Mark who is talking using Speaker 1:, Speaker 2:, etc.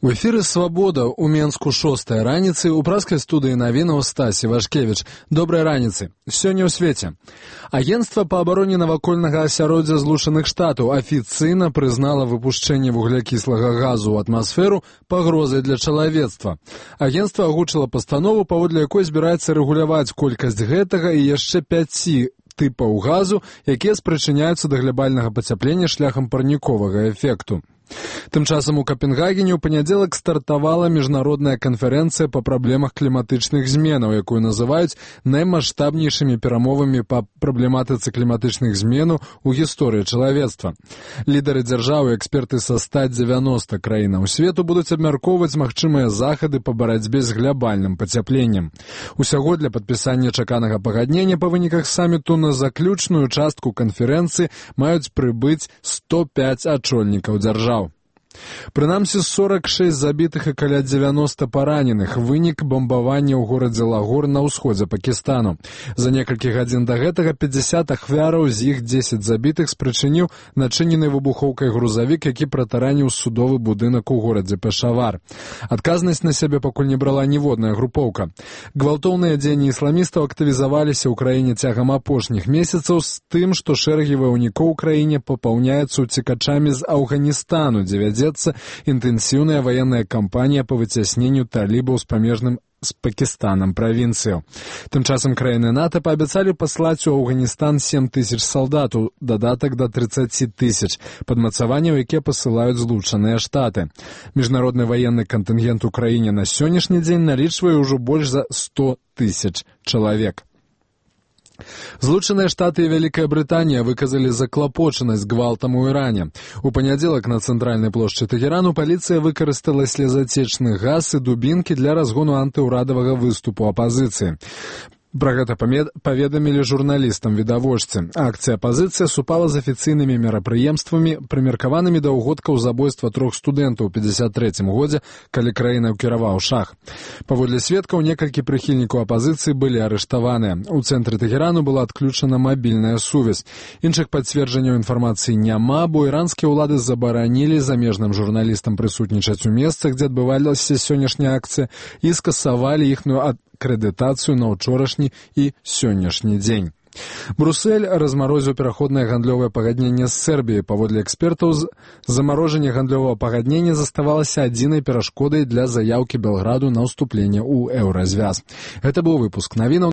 Speaker 1: У эфіры «Свабода» у Менску 6-я раніцы, у праскай студыі навінаў Стасі Вашкевіч. Добрай раніцы. Сёння ў свеце. Агенцтва па абароне навакольнага асяроддзя Злучаных Штатаў афіцыйна прызнала выпушчэнне вуглякіслага газу ў атмасферу пагрозай для чалавецтва. Агенцтва агучыла пастанову, паводле якой збіраецца рэгуляваць колькасць гэтага і яшчэ 5 тыпаў газу, якія спрычыняюцца да глабальнага пацяплення шляхам парніковага эфекту. Тым часам у Капенгагене ў панядзелак стартавала міжнародная канферэнцыя па праблемах кліматычных зменаў, якую называюць наймаштабнейшымі перамовамі па праблематыцы кліматычных зменаў у гісторыі чалавецтва. Лідары дзяржаў і эксперты са 190 краінаў свету будуць абмяркоўваць магчымыя захады па барацьбе з глабальным пацяпленнем. Усяго для падпісання чаканага пагаднення па выніках саміту на заключную частку канферэнцыі маюць прыбыць 105 ачольнікаў дзяржаў. Прынамсі 46 забітых і каля 90 параненых, вынік бамбавання ў горадзе Лагор на ўсходзе Пакістану. За некалькі гадзін да гэтага 50 ахвяраў, з іх 10 забітых спрычыніў начынены выбухоўкай грузавік, які пратараніў судовы будынак у горадзе Пешавар. Адказнасць на сябе пакуль не брала ніводная групоўка. Гвалтоўныя дзеянні ісламістаў актывізаваліся ў краіне цягам апошніх месяцаў з тым, што шэрагі ваяўнікоў у краіне папаўняюцца уцекачамі з Афганістану, дзе вядзецца інтэнсіўная ваенная кампанія па выцясненню талібаў з памежным з Пакістанам правінцыяў. Тым часам краіны НАТО паабяцалі паслаць у Афганістан 7 тысяч салдатаў, дадатак да 30 тысяч, падмацаванняў, якія пасылаюць Злучаныя Штаты. Міжнародны ваенны кантынгент у краіне на сённяшні дзень налічвае ўжо больш за 100 тысяч чалавек. Злучаныя Штаты і Вялікая Брытанія выказалі заклапочанасць гвалтам у Іране. У панядзелак на цэнтральнай плошчы Тэхерану паліцыя выкарыстала слезацечны газ і дубінкі для разгону антыўрадавага выступу апазіцыі. Пра гэта паведамілі журналістам відавочцы. Акцыя апазіцыя супала з афіцыйнымі мерапрыемствамі, прымеркаванымі да ўгодкаў забойства 3 студэнтаў у 53 годзе, калі краінай кіраваў шах. Паводле сведкаў, некалькі прыхільнікаў апазіцыі былі арыштаваныя. У цэнтры Тэхерану была адключана мабільная сувязь. Іншых пацверджанняў інфармацыі няма, бо іранскія ўлады забаранілі замежным журналістам прысутнічаць у месцах, дзе адбывалася сённяшняя акцыя, і скасавалі іхную акрэдытацыю на ўчорашні і сённяшні дзень. Брусэль размарозіў пераходнае гандлёвае пагадненне з Сербіяй. Паводле экспертаў, замарожанне гандлёвага пагаднення заставалася адзінай перашкодай для заяўкі Белграду на ўступленне ў еўразвяз. Гэта быў выпуск навінаў.